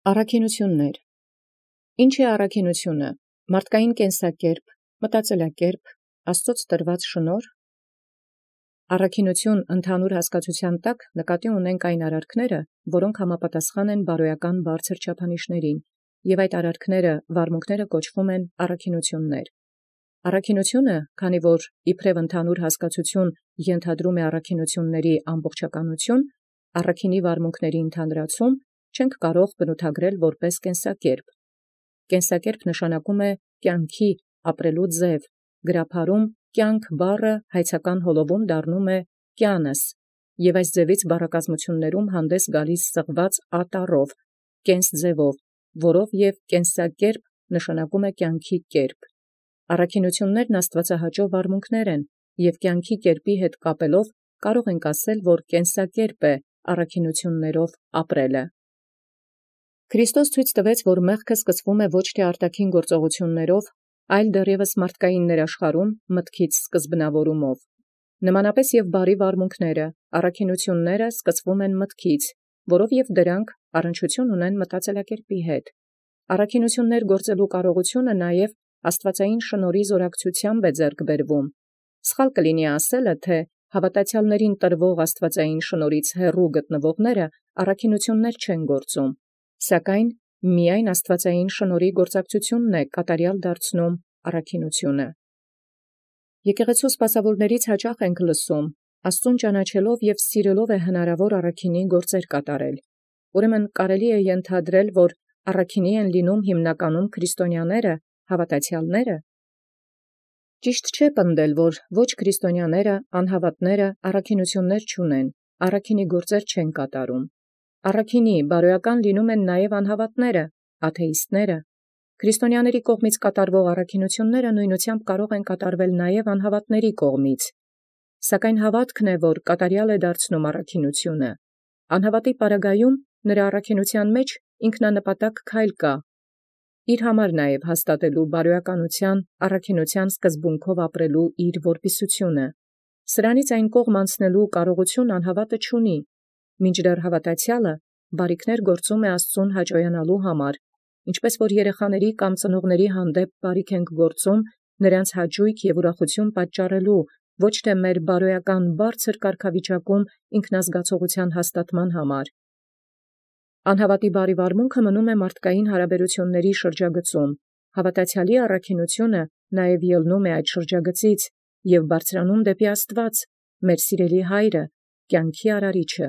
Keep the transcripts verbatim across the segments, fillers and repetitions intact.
Առաքինութիւններ։ Ինչ է առաքինութիւնը։ Մարդկային կենսակերպ, մտածելակերպ, Աստուծոց տրված շնորհ։ Առաքինութիւն ընդհանուր հասկացութեան տակ նկատի ունենք այն արարքները, որոնք համապատասխան են բարոյական բարձր չափանիշներին, եւ այդ արարքները վարմունքները կոչվում են առաքինութիւններ։ Առաքինութիւնը, քանի որ իբրև ընդհանուր հասկացութիւն ենթադրում է առաքինութիւնների ամբողջականութիւն, առաքինի վարմունքների ընդհանրացում, չենք կարող բնութագրել որպես կենսակերպ։ Կենսակերպ նշանակում է կյանքի ապրելու ձև, գրաբարում կյանք բառը հայցական հոլովում դառնում է կյանս, եւ այս ձևից բառակազմություններում հանդես գալիս սղված ատառով, կենս ձևով, որով եւ կենսակերպ նշանակում է կյանքի կերպ։ Առաքինութիւններն աստուածահաճո վարմունքներ են, եւ կյանքի կերպի հետ կապելով կարող ենք ասել, որ կենսակերպ է առաքինութիւններով ապրելը։ Քրիստոս ցույց տվեց, որ մեղքը սկսվում է ոչ թե արտաքին գործողություններով, այլ դեռևս մարդկային ներաշխարհում մտքից սկզբնավորումով։ Նմանապես եւ բարի վարմունքները, առաքինութիւնները սկսվում են մտքից, որով եւ դրանք առնչություն ունեն մտածելակերպի հետ։ Առաքինութիւններ գործելու կարողությունը նաեւ աստուածային շնորհի զորակցութեամբ է ձեռք բերվում։ Սխալ կլինի ասելը, թե հավատացյալներին տրվող աստուածային շնորհից հեռու գտնվողները առաքինութիւններ չեն գործում, սակայն միայն աստուածային շնորհի գործակցությունն է կատարյալ դարձնում առաքինութիւնը։ Եկեղեցու սպասաւորաց հաճախ ենք լսում. Աստուծոյ ճանաչելով եւ սիրելով է հնարավոր առաքինի գործեր կատարել։ Ուրեմն կարելի է ենթադրել, որ առաքինի են լինում հիմնականում քրիստոնյաները, հավատացյալները։ Ճիշտ չէ պնդել, որ ոչ քրիստոնյաները, անհավատները առաքինութիւններ չունեն, առաքինի գործեր չեն կատարում։ Առաքինի բարոյական լինում են նաև անհավատները, աթեիստները։ Քրիստոնյաների կողմից կատարվող առաքինութիւնները նույնությամբ կարող են կատարվել նաև անհավատների կողմից։ Սակայն հավատքն է, որ կատարյալ է դարձնում առաքինութիւնը։ Անհավատի պարագայում նրա առաքինութեան մեջ ինքնանպատակ քայլ կա, իր համար նաև հաստատելու բարոյականութեան, առաքինութեան սկզբունքով ապրելու իր որպիսությունը։ Սրանից այն կողմ անցնելու կարողություն անհավատը չունի, մինչդեռ հավատացյալը բարիքներ գործում է Աստծուն հաճոյանալու համար, ինչպես որ երեխաների կամ ծնողների հանդեպ բարիք ենք գործում, նրանց հաճույք եւ ուրախություն պատճառելու, ոչ թե մեր բարոյական բարձր կարգավիճակում ինքնազգացողության հաստատման համար։ Անհավատի բարի վարմունքը մնում է մարդկային հարաբերությունների շրջագծում, հավատացյալի առաքինութիւնը նաև ելնում է այդ շրջագծից եւ բարձրանում դեպի Աստուած, մեր սիրելի Հայրը, կյանքի արարիչը։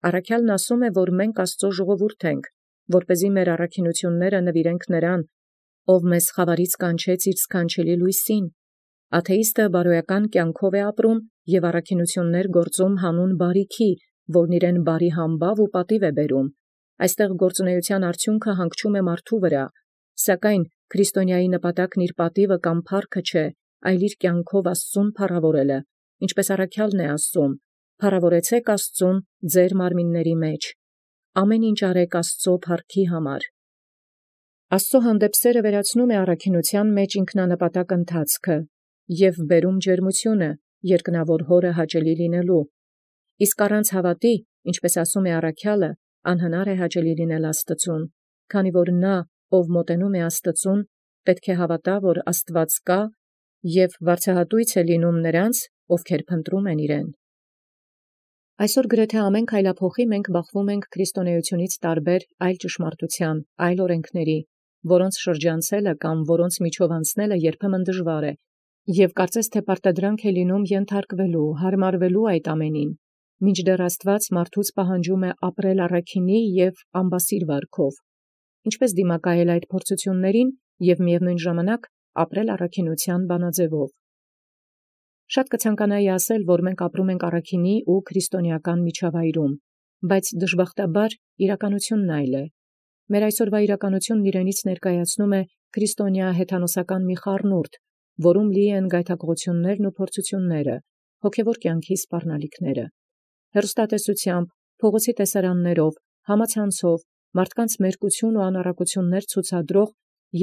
Առաքյալն ասում է, որ մենք Աստծո ժողովուրդ ենք, որպեսզի մեր առաքինութիւնները նվիրենք նրան, ով մեզ խավարից կանչեց իր սքանչելի լույսին։ Աթեիստը բարոյական կյանքով է ապրում եւ առաքինութիւններ գործում հանուն բարիքի, որն իրեն բարի համբաւ ու պատիւ է բերում։ Այստեղ գործունեության արդյունքը հանգչում է մարդու վրա, սակայն քրիստոնյայի նպատակն իր պատիվը կամ փառքը չէ, այլ իր կյանքով Աստծուն փառաւորելը, ինչպես առաքյալն է ասում. «Փառաւորեցէք Աստծուն ձեր մարմինների մեջ»։ Ամեն ինչ արեք Աստծո փառքի համար։ Աստծո հանդեպ սերը վերացնում է առաքինութեան մեջ ինքնանպատակ ընթացքը եւ բերում ջերմությունը, երկնավոր Հորը հաճելի լինելու։ Իսկ առանց հավատի, ինչպես ասում է առաքյալը, անհնար է հաճելի լինել Աստծուն, քանի որ նա, ով մոտենում է Աստծուն, պետք է հավատա, որ Աստուած կա, եւ վարձահատույց է լինում նրանց, ովքեր փնտրում են իրեն։ Այսօր գրեթե ամեն քայլափոխի մենք բախվում ենք քրիստոնեությունից տարբեր այլ ճշմարտութեան, այլ օրենքների, որոնց շրջանցելը կամ որոնց միջով անցնելը երբեմն դժվար է, եւ կարծես թե պարտադրանք է լինում ենթարկվելու, հարմարվելու այդ ամենին, մինչդեռ Աստուած մարդուց պահանջում է ապրել առաքինի եւ ամբասիր վարքով, ինչպես դիմակայել այդ փորձություններին եւ միևնույն ժամանակ ապրել առաքինութեան բանաձևով։ Շատ կցանկանայի ասել, որ մենք ապրում ենք առաքինի ու քրիստոնեական միջավայրում, բայց դժբախտաբար իրականությունն այլ է։ Մեր այսօրվա իրականությունն իրենից ներկայացնում է քրիստոնյա հեթանոսական մի խառնուրդ, որում լի են գայթակղություններն ու փորձությունները, հոգևոր կյանքի սպառնալիքները։ Հեռուստատեսությամբ, փողոցի տեսարաններով, համացանցով, մարդկանց մերկություն ու անառակություններ ցուցադրող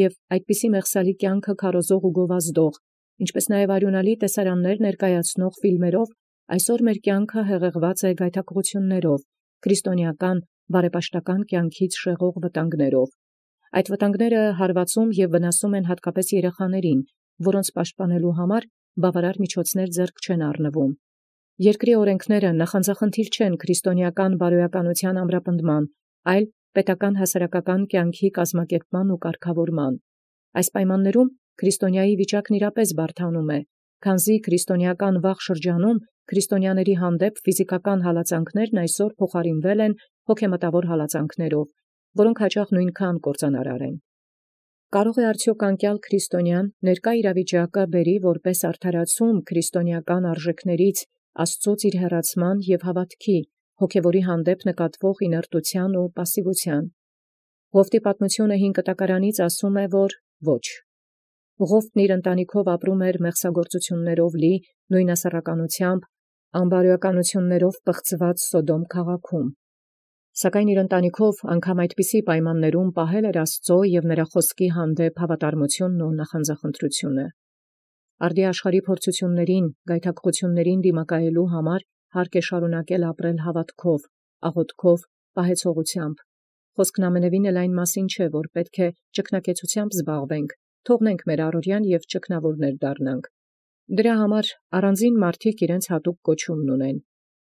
եւ այդպիսի մեղսալի կյանքը քարոզող ու գովազդող, ինչպես նաև արյունալի տեսարաններ ներկայացնող ֆիլմերով, այսօր մեր կյանքը հեղեղված է գայթակղություններով, քրիստոնեական բարեպաշտական կյանքից շեղող վտանգներով։ Այդ վտանգները հարվածում և վնասում են հատկապես երեխաներին, որոնց պաշտպանելու համար բավարար միջոցներ ձեռք չեն առնվում։ Երկրի օրենքները նախանձախնդիր չեն քրիստոնեական բարոյականության ամրապնդման, այլ պետական հասարակական կյանքի կազմակերպման ու կարգավորման։ Այս պայմաններում քրիստոնյայի վիճակն իրապես բարդանում է, քանզի քրիստոնեական վաղ շրջանում քրիստոնյաների հանդեպ ֆիզիկական հալածանքներն այսօր փոխարինվել են հոգեմտավոր հալածանքներով, որոնք հաճախ նույնքան կործանարար են։ Կարող է արդյոք անկյալ քրիստոնյան ներկա իրավիճակը բերի որպես արդարացում քրիստոնեական արժեքներից Աստծոց իր հեռացման և հավատքի, հոգևորի հանդեպ նկատվող իներտության ու պասիվության։ Ղովտի պատմությունը հին կտակարանից ասում է, որ ոչ։ Ղովտն իր ընտանիքով ապրում էր մեղսագործություններով լի, նույնասեռականությամբ, անբարոյականություններով պղծված Սոդոմ քաղաքում։ Սակայն իր ընտանիքով անգամ այդպիսի պայմաններում պահել էր Աստծո և նրա խոսքի հանդեպ հավատարմությունն ու նախանձախնդրությունը։ Արդի աշխարհի փորձություններին, գայթակղություններին դիմակայելու համար հարկ է շարունակել ապրել հավատքով, աղոթքով, պահեցողությամբ։ Խոսքն ամենևին էլ այն մասին չէ, որ պետք է ճգնակեցությամբ զբաղվենք, թողնենք մեր առօրյան և ճգնավորներ դառնանք։ Դրա համար առանձին մարդիկ իրենց հատուկ կոչումն ունեն։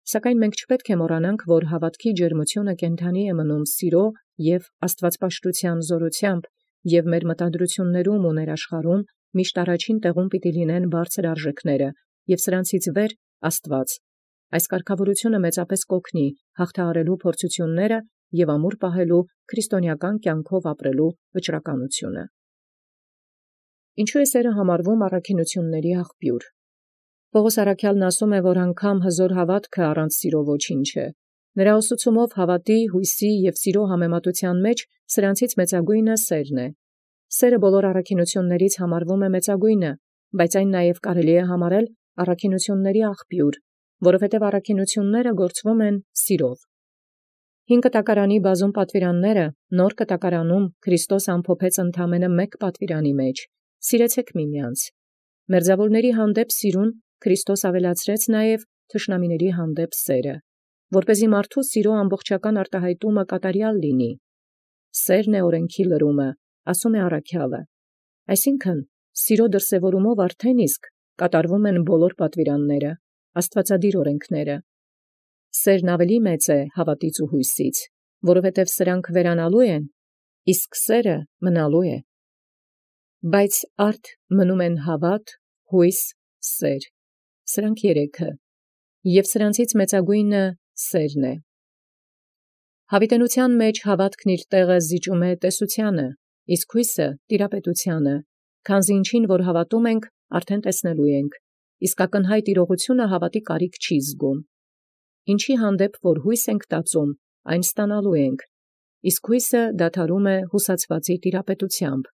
Սակայն մենք չպետք է մոռանանք, որ հավատքի ջերմությունը կենդանի է մնում սիրո և աստվածպաշտության զորությամբ, և մեր մտադրություններում ու ներաշխարհում միշտ առաջին տեղում պիտի լինեն բարձր արժեքները, և սրանցից վեր Աստված։ Այս կարգավորությունը մեծապես կօգնի հաղթահարելու փորձությունները և ամուր պահելու քրիստոնեական կյանքով ապրելու վճռականությունը։ Ինչու է սերը համարվում առաքինությունների աղբյուր։ Պողոս առաքյալն ասում է, որ անգամ հզոր հավատքը առանց սիրո ոչինչ է։ Նրա ուսուցումով հավատի, հույսի և սիրո համեմատության մեջ սրանցից մեծագույնը սերն է։ Սերը բոլոր առաքինություններից համարվում է մեծագույնը, բայց այն նաև կարելի է համարել առաքինությունների աղբյուր, որովհետև առաքինությունները գործվում են սիրով։ Հին կտակարանի բազում պատվիրանները նոր կտակարանում Քրիստոս ամփոփեց ընդամենը մեկ պատվիրանի մեջ. «Սիրեցեք միմյանց»։ Մերձավորների հանդեպ սիրուն Քրիստոս ավելացրեց նաև թշնամիների հանդեպ սերը, որպեսզի մարդու սիրո ամբողջական արտահայտումը կատարյալ լինի։ Սերն է օրենքի լրումը, ասում է առաքյալը։ Այսինքն, սիրո դրսևորումով արդեն իսկ կատարվում են բոլոր պատվիրանները, աստվածադիր օրենքները։ Սերն ավելի մեծ է հավատից ու հույսից, որովհետև սրանք վերանալու են, իսկ սերը մնալու է։ Բայց արդ մնում են հավատ, հույս, սեր, սրանք երեքը, և սրանցից մեծագույնը սերն է։ Հավիտենության մեջ հավատքն իր տեղը զիջում է տեսությանը, իսկ հույսը տիրապետությանը, քանզի ինչին որ հավատում ենք, արդեն տեսնելու ենք, իսկ ակնհայտ իրողությունը հավատի կարիք չի զգում։ Ինչի հանդեպ որ հույս ենք տածում, այն ստանալու ենք, իսկ հույսը դադարում է հուսացվածի տիրապետությամբ։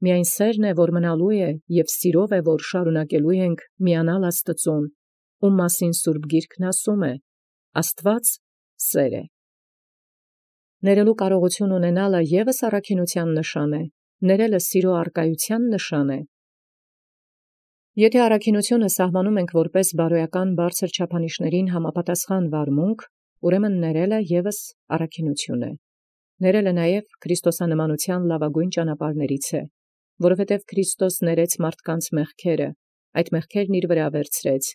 Միայն սերն է, որ մնալու է, և սիրով է, որ շարունակելու ենք միանալ Աստծուն, ում մասին Սուրբ Գիրքն ասում է. «Աստված սեր է»։ Ներելու կարողություն ունենալը ևս առաքինության նշան է, ներելը սիրո առկայության նշան է։ Եթե առաքինությունը սահմանում ենք որպես բարոյական բարձր չափանիշներին համապատասխան վարմունք, ուրեմն ներելը ևս առաքինություն է։ Ներելը նաև քրիստոսանմանության լավագույն ճանապարհներից է, որովհետև Քրիստոս ներեց մարդկանց մեղքերը, այդ մեղքերն իր վրա վերցրեց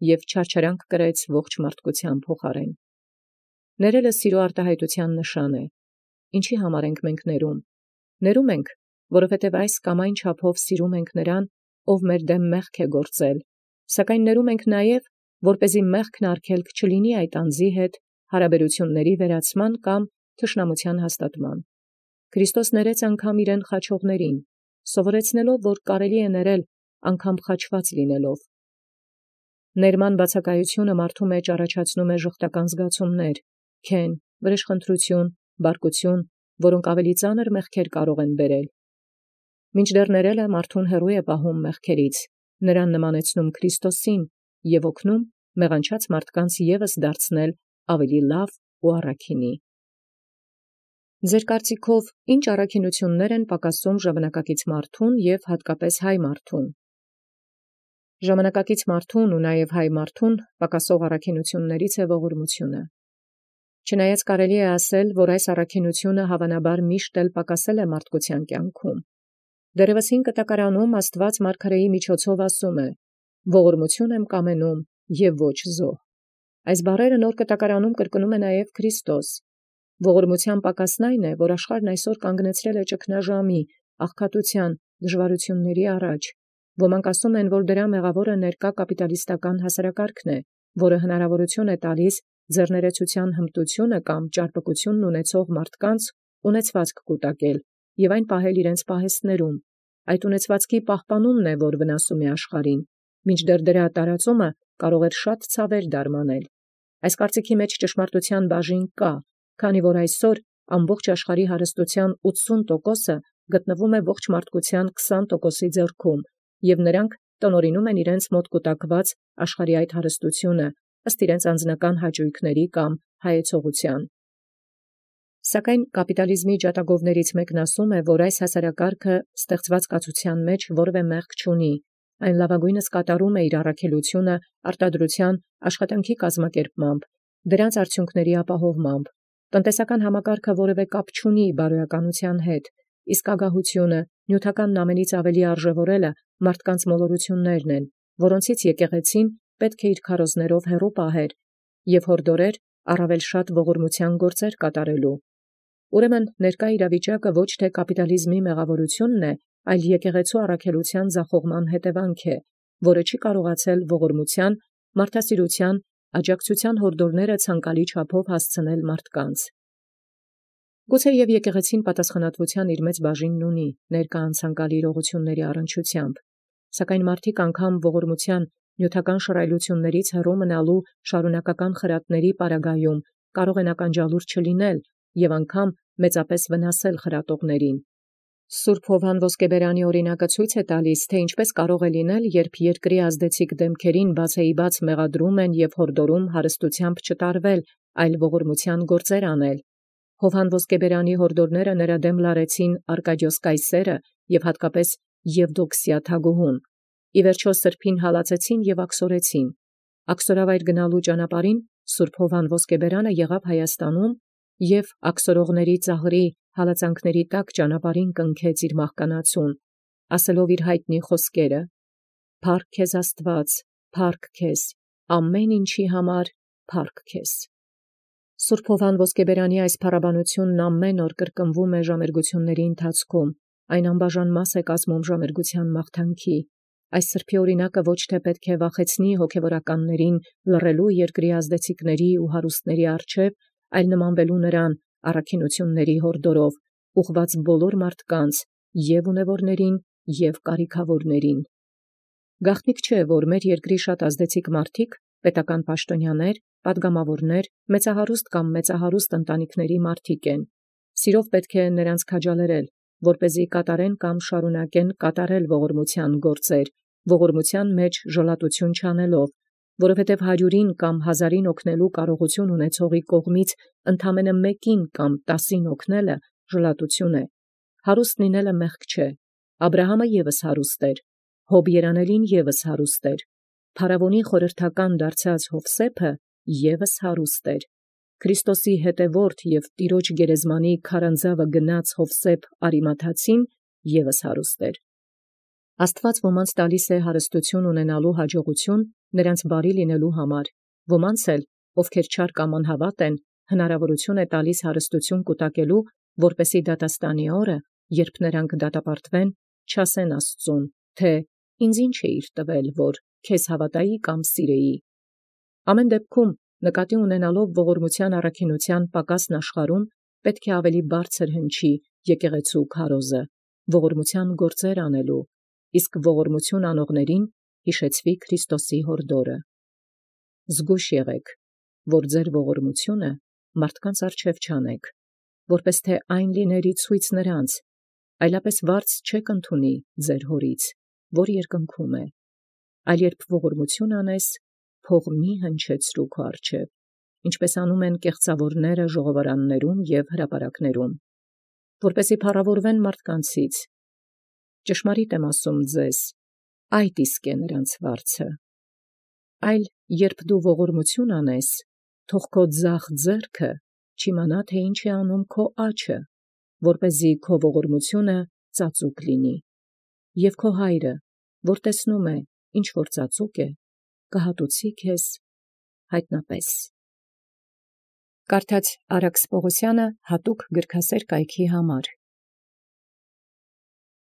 և չարչարանք կրեց ողջ մարդկության փոխարեն։ Ներելը սիրո արտահայտության նշան է։ Ինչի համար ենք մենք ներում։ Ներում ենք, որովհետև այս կամ այն չափով սիրում ենք նրան, ով մեր դեմ մեղք է գործել, սակայն ներում ենք նաև, որպեսզի մեղքն արգելք չլինի այդ անձի հետ հարաբերությունների վերացման կամ թշնամության հաստատման։ Քրիստոս ներեց անգամ իրեն խաչողներին, սովորեցնելով, որ կարելի է ներել անգամ խաչված լինելով։ Ներման բացակայությունը մարդու մեջ առաջացնում է ժխտական զգացումներ, քեն, վրեժխնդրություն, բարկություն, որոնք ավելի ծանր մեղքեր կարող են բերել։ Մինչդեռ ներելը մարդուն հեռու է պահում մեղքերից, նրան նմանեցնում Քրիստոսին և օգնում մեղանչած մարդկանց ևս դարձնել ավելի լավ ու առաքինի։ Ձեր կարծիքով ի՞նչ առաքինություններ են պակասում ժամանակակից մարդուն և հատկապես հայ մարդուն։ Ժամանակակից մարդուն ու նաև հայ մարդուն պակասող առաքինություններից է ողորմությունը։ Չնայած կարելի է ասել, որ այս առաքինությունը հավանաբար միշտ էլ պակասել է մարդկության կյանքում։ Դեռևս հին կտակարանում Աստուած մարգարեի միջոցով ասում է. «Ողորմություն եմ կամենում և ոչ զոհ»։ Այս բառերը նոր կտակարանում կրկնում է նաև Քրիստոս։ Ողորմության պակասն այն է, որ աշխարհն այսօր կանգնեցրել է ճգնաժամի, աղքատության, դժվարությունների առաջ։ Ոմանք ասում են, որ դրա մեղավորը ներկա կապիտալիստական հասարակարգն է, որը հնարավորություն է տալիս ձեռներեցության հմտությունը կամ ճարպկությունն ունեցող մարդկանց ունեցվածք կուտակել և այն պահել իրենց պահեստներում։ Այդ ունեցվածքի պահպանումն է, որ վնասում է աշխարհին, մինչդեռ դրա տարածումը կարող էր շատ ցավեր դարմանել։ Այս կարծիքի մեջ ճշմարտության բաժին կա, քանի որ այսօր ամբողջ աշխարհի հարստության ութսուն տոկոսը գտնվում է ողջ մարդկության քսան տոկոսի ձեռքում, և նրանք տնօրինում են իրենց մոտ կուտակված աշխարհի այդ հարստությունը ըստ իրենց անձնական հաճույքների կամ հայեցողության։ Սակայն կապիտալիզմի ջատագովներից մեկն ասում է, որ այս հասարակարգը ստեղծված կացության մեջ որևէ մեղք չունի, այն լավագույնս կատարում է իր առաքելությունը արտադրության աշխատանքի կազմակերպմամբ, դրանց արդյունքների ապահովմամբ։ Տնտեսական համակարգը որևէ կապ չունի բարոյականության հետ, իսկ ագահությունը, նյութականն ամենից ավելի արժևորելը մարդկանց մոլորություններն են, որոնցից եկեղեցին պետք է իր քարոզներով հեռու պահեր և հորդորեր առավել շատ ողորմության գործեր կատարելու։ Ուրեմն ներկա իրավիճակը ոչ թե կապիտալիզմի մեղավորությունն է, այլ եկեղեցու առաքելության ձախողման հետևանք է, որը չի կարողացել ողորմության, մարդասիրության, աջակցության հորդորները ցանկալի չափով հասցնել մարդկանց։ Գուցե և եկեղեցին պատասխանատվության իր մեծ բաժինն ունի ներկա անցանկալի իրողությունների առնչությամբ, սակայն մարդիկ անգամ ողորմության նյութական շռայլություններից հեռու մնալու շարունակական խրատների պարագայում կարող են ականջալուր չլինել և անգամ մեծապես վնասել խրատողներին։ Սուրբ Հովհան Ոսկեբերանի օրինակը ցույց է տալիս, թե ինչպես կարող է լինել, երբ երկրի ազդեցիկ դեմքերին բացեիբաց մեղադրում են և հորդորում հարստությամբ չտարվել, այլ ողորմության գործեր անել։ Հովհան Ոսկեբերանի հորդորները նրա դեմ լարեցին Արկադիոս Կայսերը և հատկապես Եվդոքսիա թագուհուն։ Ի վերջո սրբին հալածեցին և աքսորեցին։ Աքսորավայր գնալու ճանապարհին Սուրբ Հովհան Ոսկեբերանը եղավ Հայաստանում և աքսորողների ծաղրի հալածանքների տակ ճանապարհին կնքեց իր մահկանացուն, ասելով իր հայտնի խոսքերը. «Փառք քեզ Աստված, փառք քեզ, ամեն ինչի համար փառք քեզ»։ Սուրբ Հովհան Ոսկեբերանի այս փառաբանությունն ամեն օր կրկնվում է ժամերգությունների ընթացքում, այն անբաժան մաս է կազմում ժամերգության մաղթանքի։ Այս սրբի օրինակը ոչ թե պետք է վախեցնի հոգևորականներին լռելու երկրի ազդեցիկների ու հարուստների առջև, այլ նմանվելու նրան առաքինությունների հորդորով, ուղղված բոլոր մարդկանց, և ունևորներին, և կարիքավորներին։ Գաղտնիք չէ, որ մեր երկրի շատ ազդեցիկ մարդիկ, պետական պաշտոնյաներ, պատգամավորներ, մեծահարուստ կամ մեծահարուստ ընտանիքների մարդիկ են։ Սիրով պետք է նրանց քաջալերել, որպեսզի կատարեն կամ շարունակեն կատարել ողորմության գործեր, ողորմության մեջ ժլատություն չանելով, որովհետև հարյուրին կամ հազարին օգնելու կարողություն ունեցողի կողմից ընդամենը մեկին կամ տասին օգնելը ժլատություն է։ Հարուստ լինելը մեղք չէ։ Աբրահամը ևս հարուստ էր, Հոբ երանելին ևս հարուստ էր, փարավոնի խորհրդական դարձած Հովսեփը ևս հարուստ էր։ Քրիստոսի հետևորդ և տիրոջ գերեզմանի քարանձավը գնաց Հովսեփ Արիմաթացին ևս հարուստ էր։ Աստված ոմանց տալիս է հարստություն ունենալու հաջողություն նրանց բարի լինելու համար, ոմանց էլ, ովքեր չար կամ անհավատ են, հնարավորություն է տալիս հարստություն կուտակելու, որպեսզի դատաստանի օրը, երբ նրանք դատապարտվեն, չասեն Աստծուն, թե «Ինձ ի՞նչ էիր տվել, որ քեզ հավատայի կամ սիրեի»։ Ամեն դեպքում, նկատի ունենալով ողորմության առաքինության պակասն աշխարհում, պետք է ավելի բարձր հնչի եկեղեցու քարոզը, ողորմության գործեր անելու, իսկ ողորմություն անողներին հիշեցվի Քրիստոսի հորդորը։ Զգույշ եղեք, որ ձեր ողորմությունը մարդկանց առջև չանեք, որպես թե այն լիներ ի ցույց նրանց, այլապես վարձ չեք ընդունի ձեր հորից, որ երկնքում է, այլ երբ ողորմություն անես, փող մի հնչեցրու քո առջև, ինչպես անում են կեղծավորները ժողովարաններում և հրապարակներում, որպեսզի փառավորվեն մարդկանցից։ Ճշմարիտ եմ ասում ձեզ, այդ իսկ է նրանց վարձը։ Այլ երբ դու ողորմություն անես, թող քո ձախ ձեռքը չիմանա թէ ի՛նչ անում քո աչը, որպեսզի քո ողորմութիւնը ծածուկ լինի, և քո Հայրը, որ տեսնում է, ինչ որ ծածուկ է, կհատուցի քեզ յայտնապէս։ Կարդաց Արաքս Պողոսյանը հատուկ գրքասեր կայքի համար։